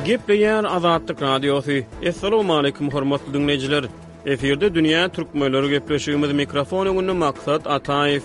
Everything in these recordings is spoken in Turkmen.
Gepleýär Azatlyk Radiosy. Assalamualaikum hormatly diňleýjiler. Efirde dünýä türkmenleri gepleşigimiz mikrofon öňünde Maksat Ataýew.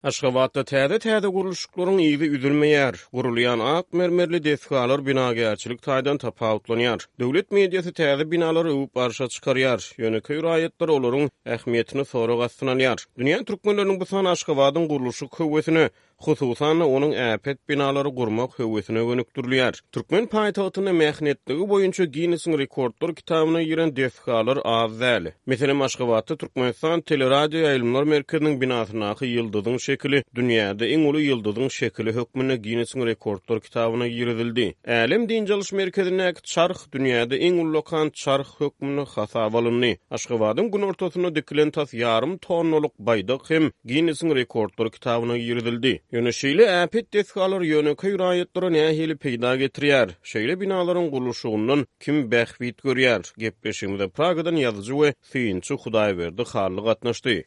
Aşgabatda täze-täze gurluşyklaryň yzy üzülmeýär. Gurulýan ak mermerli desgalar binagärçilik taýdan tapawutlanýar. Döwlet mediasy täze binalary öwüp arşa çykarýar. Ýönekeý raýatlar olaryň ähmiýetini sorag astyna alýar. Dünýä türkmenleriniň bu sany Aşgabadyň gurluşyk höwesine, Hususan-da, onuň äpet binalary gurmak höwesine gönükdirilýär. Türkmen paýtagtynda mähnetligi boýunça Ginnesiň rekordlar kitabyna giren desgalar az däl. Meselem, Aşgabatda Türkmenistan teleradioýaýlymlar merkeziniň binasyndaky ýyldyzyň şekili dünýäde iň uly ýyldyzyň şekili hökmünde Ginnesiň rekordlar kitabyna girizildi. Älem dynç alyş merkezindäki çarh dünýäde iň ullakan çarh hökmünde hasaba alyndy. Aşgabadyň günortasynda dikilen tas ýarym tonnalyk baýdak hem Ginnesiň rekordlar kitabyna girizildi. Ýöne şeýle äpet desgalar ýönekeý raýatlara nähili peýda getirýär? Şeýle binalaryň gurluşygyndan kim bähbit görýär? Gepleşigimize Pragadan ýazyjy we synçy Hudaýberdi Hally gatnaşdy.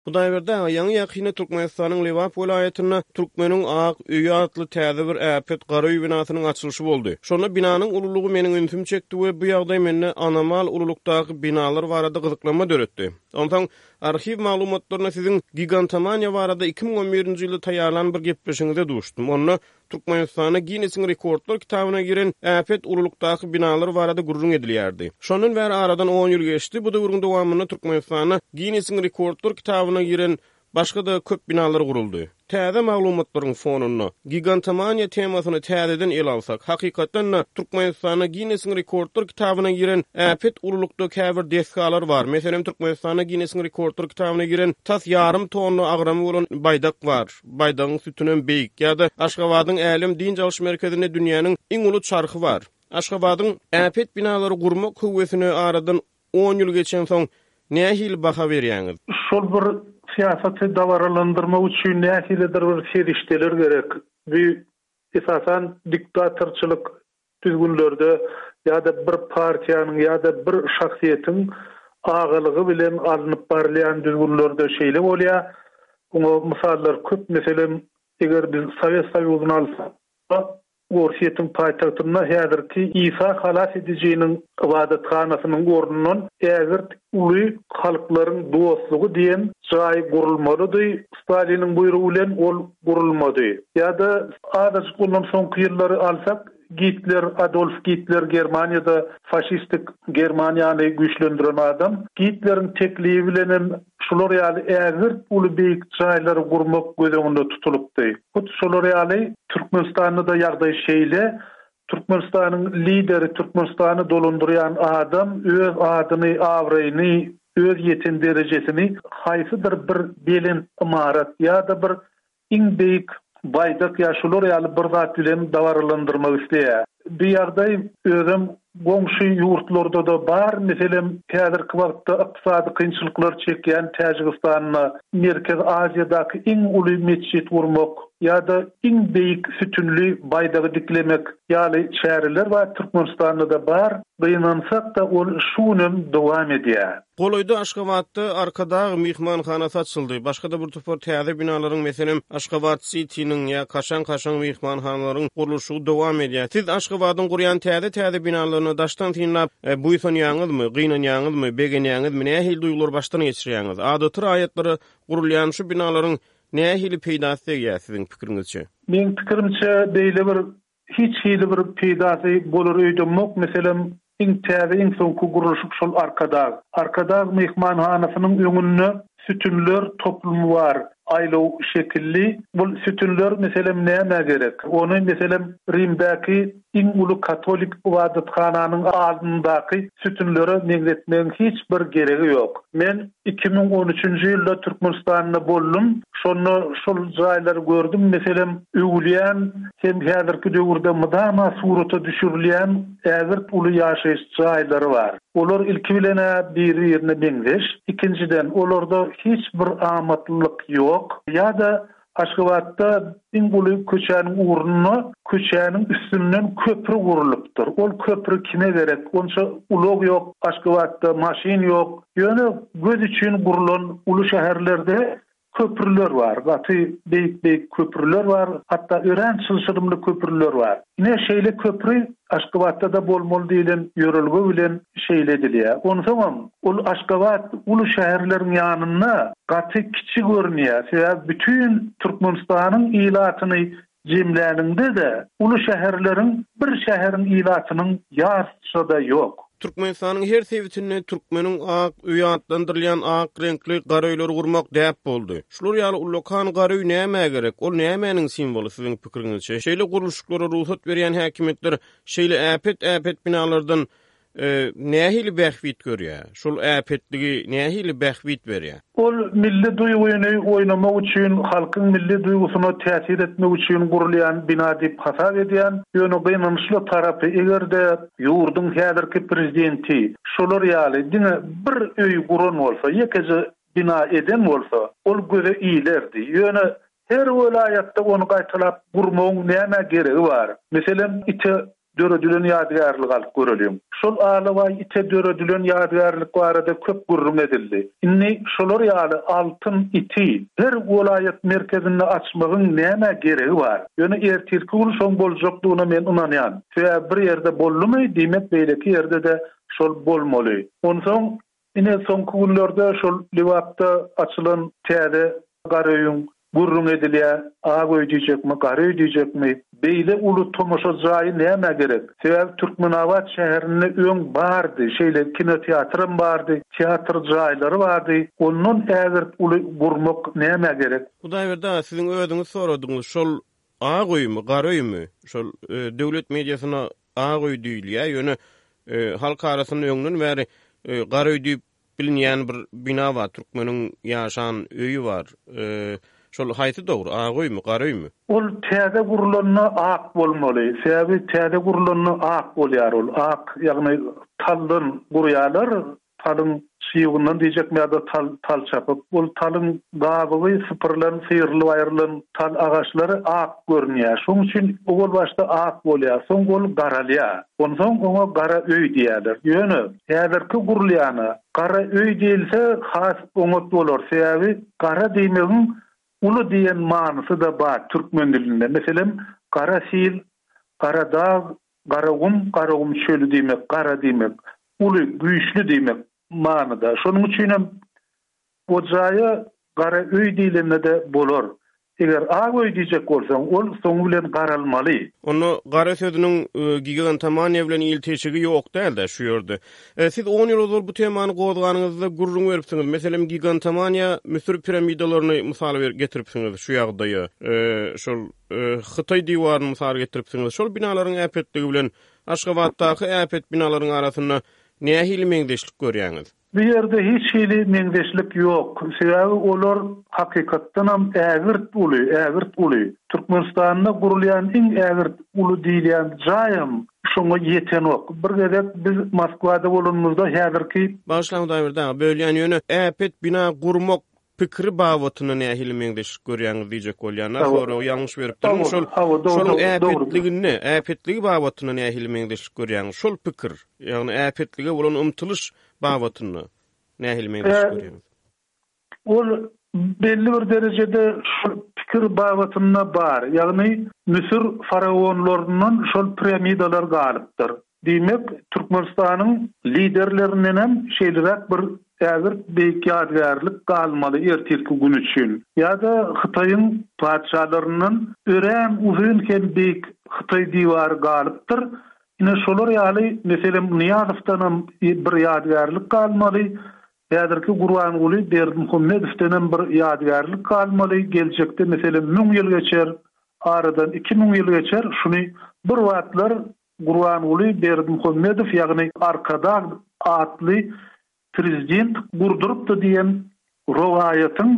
Hudaýberdi aga, ýaňy-ýakynda Türkmenistanyň Lebap welaýatynda Türkmeniň ak öýi atly täze bir äpet gara öý binasynyň açylyşy boldy. Şonda binanyň ululygy meniň ünsümi çekdi we bu ýagdaý mende anomal ululykdaky binalar barada gyzyklanma döretdi. Onsoň arhiw maglumatlarynda siziň gigantomaniýa barada 2011-nji ýylda taýýarlan bir gepleşigiňize duşdum. Onda Türkmenistanda Ginnesiň rekordlar kitabyna giren äpet ululykdaky binalar barada gürrüň edilýärdi. Şondan bäri aradan on ýyl geçdi, bu döwrüň dowamynda Türkmenistanda Ginnesiň rekordlar kitabyna giren başga-da köp binalar guruldy. Täze maglumatlaryň fonunda, gigantomaniýa temasyny täzeden ele alsak, hakykatdan-da, Türkmenistanda Ginnesiň rekordlar kitabyna giren äpet ululykda käbir desgalar bar. Meselem, Türkmenistanda Ginnesiň rekordlar kitabyna giren tas ýarym tonna agramy bolan baýdak bar. Baýdagyň sütünem beýik. Ýa-da Aşgabadyň Älem dynç alyş merkezinde dünýäniň iň uly çarhy bar. Aşgabadyň äpet binalary gurmak höwesine aradan on ýyl geçensoň nähili baha berýäňiz? Şol bir syýasaty dabaralandyrmak üçin nähilidir bir serişdeler gerek. Bu esasan diktatorçylyk düzgünlerde ýa-da bir partiýanyň ýa-da bir şahsyýetiň agalygy bilen alnyp barylýan düzgünlerde şeýle bolýar. Muňa mysallar köp. Meselem, eger biz Sowet Soýuzyny alsak, Orsýetiň paýtagtynda häzirki Isa Halas edijiniň ybadathanasynyň ornundan ägirt uly Halklaryň dostlugy diýen jaý gurulmalydy, Staliniň buýrugy bilen ol gurulmady. Ýa-da azajyk ondan soňky ýyllary alsak, Gitler, Adolf Gitler Germaniýada faşistik Germaniýany güýçlendiren adam. Gitleriň teklibi bilenem şular ýaly ägirt uly beýik jaýlary gurmak göz öňünde tutulypdy. Hut şolar ýaly Türkmenistanda-da ýagdaý şeýle. Türkmenistanyň lideri, Türkmenistany dolandyrýan adam öz adyny, abraýyny, öz ýeten derejesini haýsydyr bir belent ymarat ýa-da bir iň beýik baýdak ýa şular ýaly bir zat bilen dabaralandyrmak isleýär. Bu ýagdaý özem goňşy ýurtlarda-da bar. Meselem, häzirki wagtda ykdysady kynçylyklar çekýän Täjigistanda Merkezi Aziýadaky iň uly metjit gurmak ýa-da iň beýik sütünli baýdagy diklemek ýaly çäreler bar, Türkmenistanda-da bar. Gynansak-da, ol şu günem dowam edýär. Golaýda Aşgabatda Arkadag myhmanhanasy açyldy. Başga-da bir topar täze binalaryň, meselem, Aşgabat Sitiniň ýa kaşaň-kaşaň myhmanhanalaryň gurluşygy dowam edýär. Siz Aşgabadyň gurýan täze-täze binalaryny daşdan synlap, buýsanýaňyzmy, gynanýaňyzmy, begenýäňizmi, nähili duýgulary başdan geçirýäňiz? Adaty raýatlara gurulýan şu binalaryň nähili peýdasy degýär siziň pikiriňizçe? Meň pikirimçe, beýle bir Hiç hili bir peýdasy bolar öýdemok, meselem, iň täze, iň soňky gurluşyk şol Arkadag. Arkadag myhmanhanasynyň öňünde sütünler toplumy bar, aýlaw şekilli. Bul sütünler, meselem, nämä gerek? Ony, meselem, Rimdäki iň uly katolik ybadathananyň alnyndaky sütünlere meňzetmegiň hiç bir geregi ýok. Men 2013-nji ýylda Türkmenistanda boldum. Şonda şol jaýlary gördüm. Meselem, öwülýän hem häzirki döwürde mydama surata düşürilýän ägirt uly ýaşaýyş jaýlary bar. Olar ilki bilen-ä biri-birine meňzeş. Ikinjiden, olarda hiç bir amatlylyk ýok. Ýa-da. Aşgabatda iň uly köçäniň ugrunda köçäniň üstünden köpri gurlupdyr. Ol köpri kime gerek? Onça ulag ýok Aşgabatda, maşyn ýok. Ýöne göz üçin gurlan uly şäherlerde köprüler bar. Gaty beýik-beýik köprüler bar. Hatda örän çylşyrymly köprüler bar. Ine, şeýle köpri Aşgabatda-da bolmaly diýlen ýörelge bilen şeýle edilýär. Onsoňam, ol Aşgabat uly şäherleriň ýanynda gaty kiçi görünýär. Sebäbi bütin Türkmenistanyň ilatyny jemläniňde-de, uly şäherleriň bir şäheriň ilatynyň ýarysy-da ýok. Türkmenistanyň her sebitinde Türkmeniň ak öýi atlandyrylýan ak reňkli gara öýleri gurmak däp boldy. Şular ýaly ullakan gara öý nämä gerek? Ol nämäniň simwoly siziň pikiriňizçe? Şeýle gurluşyklara rugsat berýän häkimiýetler şeýle äpet-äpet binalardan nähili bähbit görýär? Şol äpetligi nähili bähbit berýär? Ol milli duýgyny oýnamak üçin, halkyň milli duýgusyna täsir etmek üçin gurulýan bina diýip hasap edýän. Ýöne gynançly tarapy, eger-de ýurduň häzirki prezidenti şolar ýaly diňe bir öý guran bolsa, ýekeje bina eden bolsa, ol göze ilerdi. Ýöne her welaýatda ony gaýtalap gurmagyň nämä geregi bar? Meselem, ite döredilen ýadygärligi alyp göreliň. Şol alabaý ite döredilen ýadygärlik barada köp gürrüň edildi. Indi şolar ýaly altyn iti her welaýat merkezinde açmagyň nämä geregi bar? Ýöne ertirki gün şoň boljakdygyna men ynanýan. Sebäbi bir ýerde boldumy, diýmek beýleki ýerde-de şol bolmaly. Onsoň Ine, soňky günlerde şol Lebapda açylan täze Garaöýüň gürrüňi edilýär. Ak öý diýjekmi, gara öý diýjekmi? Beýle uly tomaşa jaýy nämä gerek? Sebäbi Türkmenabat şäherinde öň bardy, şeýle kinoteatram bardy, teatr jaýlary bardy. Ondan ägirt uly gurmak nämä gerek? Hudaýberdi aga, siziň özüňiz soradyňyz, şol ak öými, gara öými? Şol döwlet mediasynda Ak öý diýilýär, ýöne halk arasynda öňden bäri gara öý diýip bilinýän bir bina bar, türkmeniň ýaşan öýi bar. Şol haýsy dogry, ak öými, gara öými? Ol täze gurlanda ak bolmaly. Sebäbi täze gurlanda ak bolýar ol. Ak, ýagny taldan gurýarlar. Talyň çybyndan diýjekmi ýa-da tal, tal çapyp. Ol talyň gabygy sypyrylan, syrylyp aýrylan tal agaçlary ak görünýär. Şonuň üçin owal başda ak bolýar, soň ol garalýar. Onsoň oňa gara öý diýýärler. Ýöne häzirki gurulýana gara öý diýilse has oňat bolar. Sebäbi gara diýmegiň uly diýen manysy-da bar türkmen dilinde. Meselem, gara sil, gara dag, Garagum, Garagum çöli diýmek, gara diýmek, uly, güýçli diýmek manyda. Şonuň üçinem o jaýa gara öý diýlende-de bolar. Eger ak öý diýjek bolsaň, ol soňy bilen garalmaly. Onda gara sözüniň gigantomaniýa bilen ilteşigi ýok däl-dä şu ýerde. Siz on ýyl ozal bu temany gozganyňyzda gürrüň beripsiňiz. Meselem, gigantomaniýa Müsür piramidalaryny mysal getiripsiňiz şu ýagdaýa. Şol Hytaý diwaryny mysal getiripsiňiz. Şol binalaryň äpetligi bilen Aşgabatdaky äpet binalaryň arasynda nähili meňzeşlik görýäňiz? Bu ýerde hiç hili meňzeşlik ýok. Sebäbi olar hakykatdanam ägirt uly, ägirt uly. Türkmenistanda gurulýan iň ägirt uly diýilýän jaýam şoňa ýetenok. Bir gezek biz Moskwada bolanymyzda häzirki. Bagyşlaň Hudaýberdi aga, bölýän ýöne äpet bina gurmak pikiri babatynda nähili meňzeşlik görýäňiz diýjek bolýan-da, soragy ýalňyş beripdirin. Şol şonuň äpetliginde, äpetligi babatynda nähili meňzeşlik görýäňiz? Şol pikir, ýagny äpetlige bolan ymtylyş babatynda nähili meňzeşlik görýäňiz? Ol belli bir derejede şol pikir babatynda bar. Ýagny Müsür faraonlaryndan şol piramidalar galypdyr. Diýmek, Türkmenistanyň liderlerindenem şeýleräk bir ägirt beýik ýadygärlik galmaly ertirki gün üçin. Ýa-da Hytaýyň patyşalaryndan örän uzyn hem beýik Hytaý diwary galypdyr. Ine şolar ýaly, meselem, Nyýazowdanam bir ýadygärlik galmaly, häzirki Gurbanguly Berdimuhamedowdenem bir ýadygärlik galmaly, geljekde meselem müň ýyl geçer, aradan 2000 ýyl geçer, şuny bir wagtlar Gurbanguly Berdimuhamedow, ýagny Arkadag atly prezident gurdurypdy diýen rowaýatyň,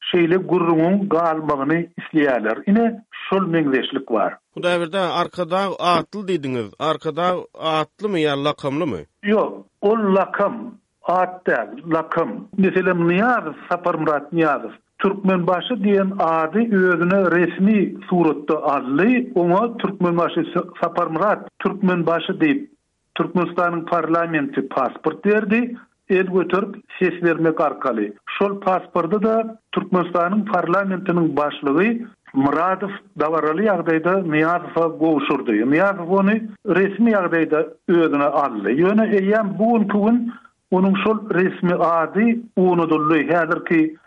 şeýle gürrüňiň galmagyny isleýärler. Ine, şol meňzeşlik bar. Hudaýberdi aga, Arkadag atly diýdiňiz. Arkadag atlymy ýa lakamlymy? Ýok, ol lakam, at däl, lakam. Meselem, Nyýazow, Saparmyrat Nyýazow. Türkmenbaşy diýen ady özüne resmi suratda aldy, oňa Türkmenbaşy Saparmyrat Türkmenbaşy diýip Türkmenistanyň parlamenti pasport berdi, el göterip ses bermek arkaly. Şol pasporty-da Türkmenistanyň parlamentiniň başlygy Myradow dabaraly ýagdaýda Nyýazowa gowşurdy. Nyýazow ony resmi ýagdaýda özüne aldy. Ýöne eýýäm bu günki gün onuň şol resmi ady unudyldy. Häzirki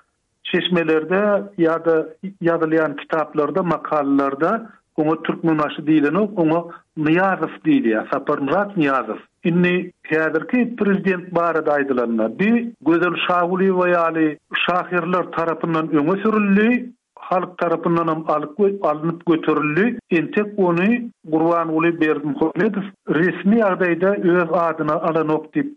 Çeşmelerde ýa-da ýazylýan kitaplarda, makalalarda oňa Türkmenbaşy diýlenok, oňa Nyýazow diýilýär, Saparmyrat Nyýazow. Indi häzirki prezident barada aýdylanda, bi Gözel Şagulyýewa ýaly şahyrlar tarapyndan öňe sürüldi, halk tarapyndanam alyp alnyp göterildi. Entek ony Gurbanguly Berdimuhamedow resmi ýagdaýda öz adyna alanok diýip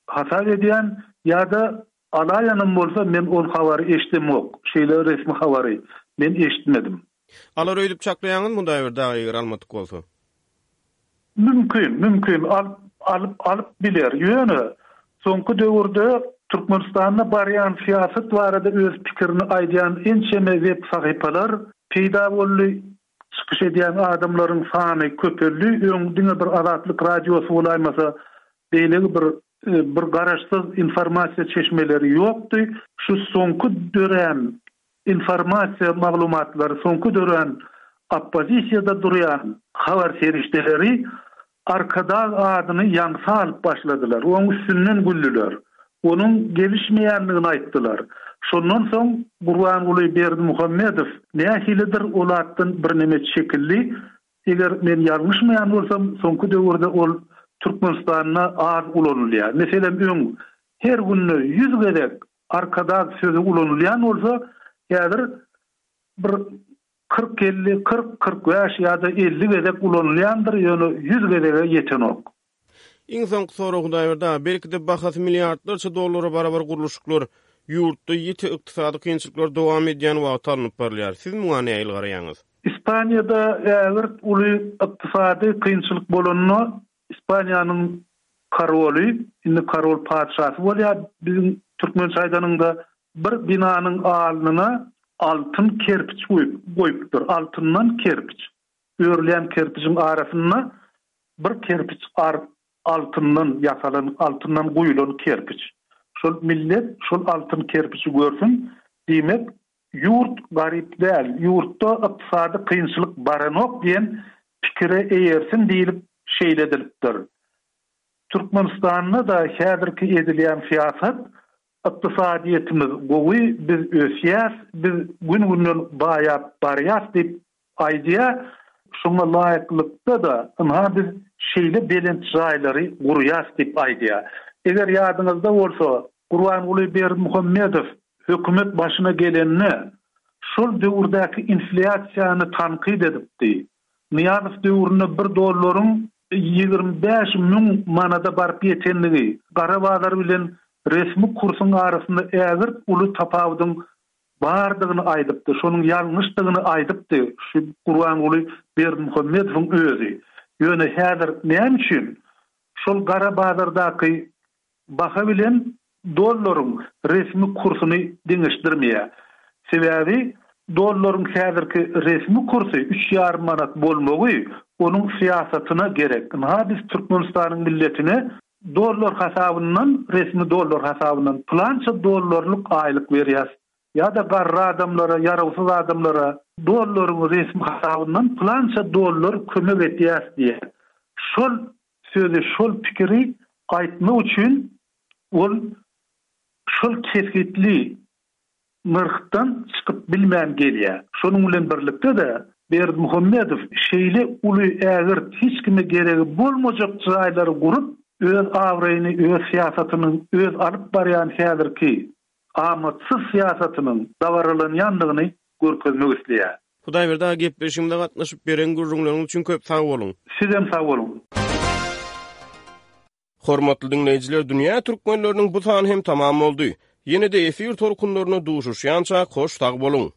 hasap edýän ýa-da Alaýanam bolsa men ol habary eşdemok, şeýle resmi habary men eşitmedim. Alar öýdüp çaklaýaňyzmy Hudaýberdi aga eger almadyk bolsa? Mümkin, mümkin alyp alyp alyp biler. Ýöne soňky döwürde Türkmenistanda barýan syýasat barada öz pikirini aýdýan ençeme web sahypalar peýda boldy, çykyş edýän adamlaryň sany köpeldi. Öň diňe bir Azatlyk Radiosy bolaýmasa beýleki bir bir garaşsyz informasiýa çeşmeleri ýokdy. Şu soňky dörän informasiýa maglumatlary, soňky dörän oppozisiýada durýan habar serişdeleri Arkadag adyny ýaňsa alyp başladylar, oň üstünden güldüler, onuň gelişmeýändigini aýtdylar. Şondan soň Gurbanguly Berdimuhamedow nähilidir ol atdan birneme çekildi, Eger men ýalňyşmaýan bolsam, soňky döwürde ol Türkmenistanda az ulanylýar. Meselem, öň her günde 100 gezek Arkadag sözi ulanylýan bolsa, häzir bir kyrk-elli, 40, 45 ýa-da 50 gezek ulanylýandyr, ýöne 100 gezege ýetenok. Iň soňky sorag Hudaýberdi aga, belki-de bahasy milliardlarça dollara barabar gurluşyklar ýurtda ýiti ykdysady kynçylyklar dowam edýän wagty alnyp barylýar. Siz muňa nähili garaýaňyz? Ispaniýada ägirt uly ykdysady kynçylyk bolanda Ispaniýanyň koroly, indi korol patyşasy bolýar biziň türkmençe aýdanyňda, bir binanyň alnyna altyn kerpiç goýupdyr, altyndan kerpiç. Örülýän kerpijiň arasynda Bir kerpiç altyndan ýasalan, altyndan guýulan kerpiç. Şol millet şol altyn kerpiçi görsün, diýmek, ýurt garyp däl, ýurtda ykdysady kynçylyk baranok diýen pikire eýersin diýlip şeýle edilipdir. Türkmenistanda-da häzirki edilýän syýasat ykdysadyýetimiz gowy, biz ösýäs, biz gün-günden baýap barýas diýip Aýdýar, şoňa laýyklykda-da, ynha biz şeýle belent jaýlary gurýas diýip aýdýar. Eger ýadyňyzda bolsa, Gurbanguly Berdimuhamedow hökümet başyna gelende, şol döwürdäki inflýasiýany tankyt edipdi. Nyýazow döwründe bir dollaryň 25 müň manada baryp ýetendigi, gara bazar bilen resmi kursuň arasynda ägirt uly tapawudyň bardygyny aýdypdy, şonuň ýalňyşdygyny aýdypdy şu Gurbanguly Berdimuhamedowyň özi. Ýöne häzir näme üçin şol gara bazardaky baha bilen dollaryň resmi kursuny deňeşdirmeýär? Sebäbi dollaryň häzirki resmi kursy üç ýarym manat bolmagy onuň syýasatyna gerek. Ynha biz Türkmenistanyň milletine Dollar hasabyndan, resmi dollar hasabyndan pylança dollarlyk aýlyk berýäs. Ýa-da garry adamlara, ýarawsyz adamlara dollaryň resmi hasabyndan pylança dollar kömek edýäs diýýär. Şol sözi, şol pikiri aýtmak üçin ol şol kesgitli nyrhdan çykyp bilmän gelýär. Şonuň bilen birlikde-de, Berdimuhamedow şeýle uly, ägirt, hiç kime geregi bolmajak jaýlary gurup, öz abraýyny, öz syýasatynyň, öz alyp barýan häzirki amatsyz syýasatynyň dabaralanýandygyny görkezmek isleýär. Hudaýberdi aga gepleşigimize gatnaşyp beren gürrüňleriňiz üçin köp sag boluň. Sizem sag boluň. Hormatly diňleýjiler dünýä türkmenleriniň bu sany hem tamam boldy. Ýene-de efir tolkunlarynda duşuşýançak hoş sag boluň.